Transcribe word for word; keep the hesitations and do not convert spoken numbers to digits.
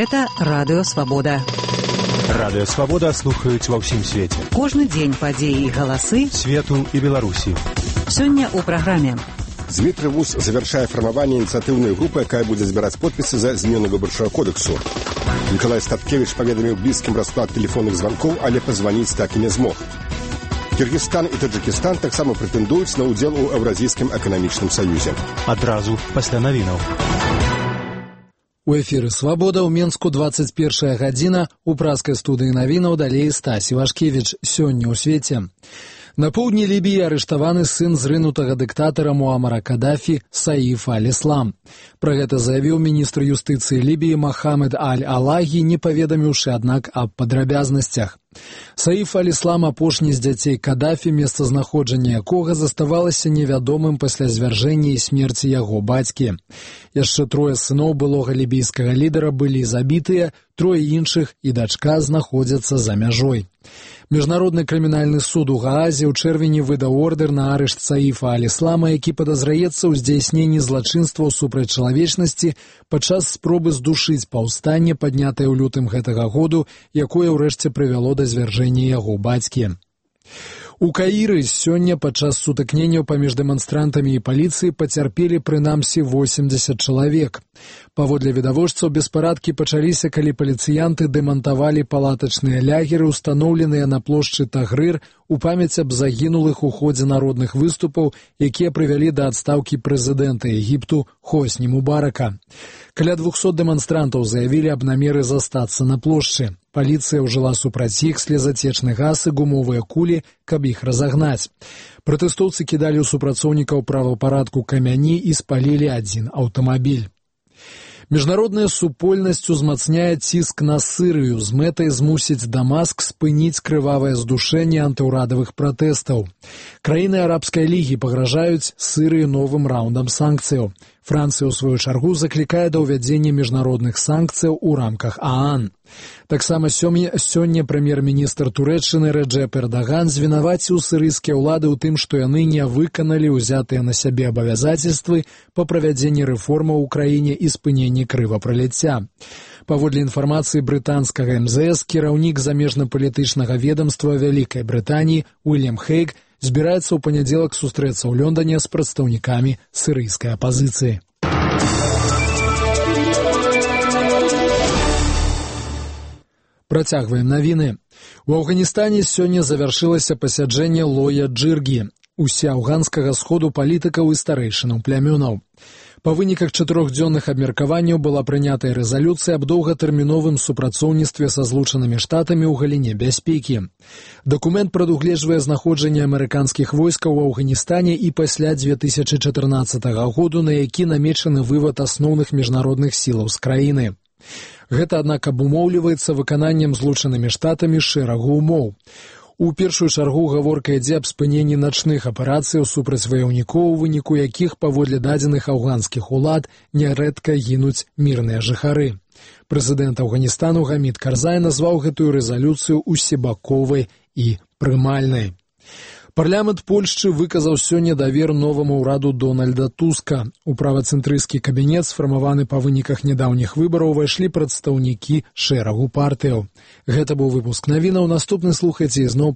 Гэта Радыё Свабода. Радыё Свабода слухаюць ва ўсім свеце. Кожны дзень падзеі і галасы свету і Беларусі. Сёння ў праграме. Дмитрий Вуз завершае фармаванне ініцыятыўнай групы, якая будзе збіраць подпісы за змену выбарчага кодексу. Николай Статкевич паведаміў блізкім расклад тэлефонных званкоў, але пазваніць так і не змог. Кыргызстан і Таджикистан таксама прэтэндуюць на ўдзел у Еўразійскім эканамічным саюзе. Адразу пасля навінаў. У эфіры «Свабода» ў Менску дваццаць першая гадзіна, у праскай студыі навінаў далей Стась Івашкевіч. Сёння ў свеце. На поўдні Лібіі арыштаваны сын зрынутага дыктатара Муамара Кадафі Саиф аль-Ислам. Пра гэта заявіў міністр юстыцыі Лібіі Мохамед аль-Алагі, не паведаміўшы, аднак, аб падрабязнасцях. Саиф аль-Ислам, апошні з дзяцей Кадафі, месцазнаходжанне якога заставалася невядомым пасля звяржэння і смерці яго бацькі. Яшчэ трое сыноў былога лібійскага лідара былі забітыя, трое іншых і дачка знаходзяцца за мяжой. Міжнародны крымінальны суд у Гаазе ў чэрвені выдаў ордэр на арышт Саифа аль-Ислама, які падазраецца ў здзяйсненні злачынстваў супраць чалавечнасці падчас спробы здушыць паўстанне, паднятае ў лютым гэтага году, якое ўрэшце прывяло да звяржэння яго бацькі. У Каіры сёння падчас сутыкненняў паміж дэманстрантамі і паліцыяй пацярпелі прынамсі восемьдесят чалавек. Паводле відавочцаў, беспарадкі пачаліся, калі паліцыянты дэмантавалі палатачныя лягеры, устаноўленыя на плошчы Тагрыр, у памяць аб загінулых у ходзе народных выступаў, якія прывялі да адстаўкі прэзідэнта Егіпту Хосні Мубарака. Каля двухсот дэманстрантаў заявілі аб намеры застацца на плошчы. Паліцыя ўжыла супраць іх слезацечны газ і гумовыя кулі, каб іх разагнаць. Пратэстоўцы кідалі ў супрацоўнікаў правапарадку камяні і спалілі адзін аўтамабіль. Міжнародная супольнасць узмацняе ціск на Сырыю з мэтай змусіць Дамаск спыніць крывавае здушэнне антыўрадавых пратэстаў. Краіны арабскай лігі пагражаюць Сырыі новым раундам санкцыяў. Францыя, у сваю чаргу, заклікае да ўвядзення міжнародных санкцыяў у рамках ААН. Таксама сёння прэм'ер-міністр Турэччыны Рэджэп Эрдаган звінаваціў сырыйскія ўлады ў тым, што яны не выканалі ўзятыя на сябе абавязацельствы па правядзенні рэформаў у краіне і спыненні крывапраліцця. Паводле інфармацыі брытанскага эм зэ эс, кіраўнік замежна-палітычнага ведамства Вялікай Брытаніі Уільям Хейг збіраецца ў панядзелак сустрэцца ў Лондане з прадстаўнікамі сырыйскай апазіцыі. Працягваем навіны. У Афганістане сёння завяршылася пасяджэнне Лоя Джыргі, усеафганскага сходу палітыкаў і старэйшынаў плямёнаў. Па выніках чатырохдзённых абмеркаванняў была прынятая рэзалюцыя аб доўгатэрміновым супрацоўніцтве са Злучанымі Штатамі ў галіне бяспекі. Дакумент прадугледжвае знаходжанне амерыканскіх войскаў у Афганістане і пасля дзве тысячы чатырнаццатага году, на які намечаны вывад асноўных міжнародных сілаў з краіны. Гэта, аднак, абумоўліваецца выкананнем Злучанымі Штатамі шэрагу ўмоў. У першую чаргу гаворка ідзе аб спыненні начных аперацыяў супраць ваяўнікоў, у выніку якіх, паводле дадзеных афганскіх улад, нярэдка гінуць мірныя жыхары. Прэзідэнт Афганістану Гамід Карзай назваў гэтую рэзалюцыю усебаковай і прымальнай. Парламент Польшчы выказаў сёння давер новаму ўраду Дональда Туска. У правацэнтрысцкі кабінет, сфармаваны па выніках нядаўніх выбараў, увайшлі прадстаўнікі шэрагу партыяў. Гэта быў выпуск навінаў. Наступны слухайце ізноў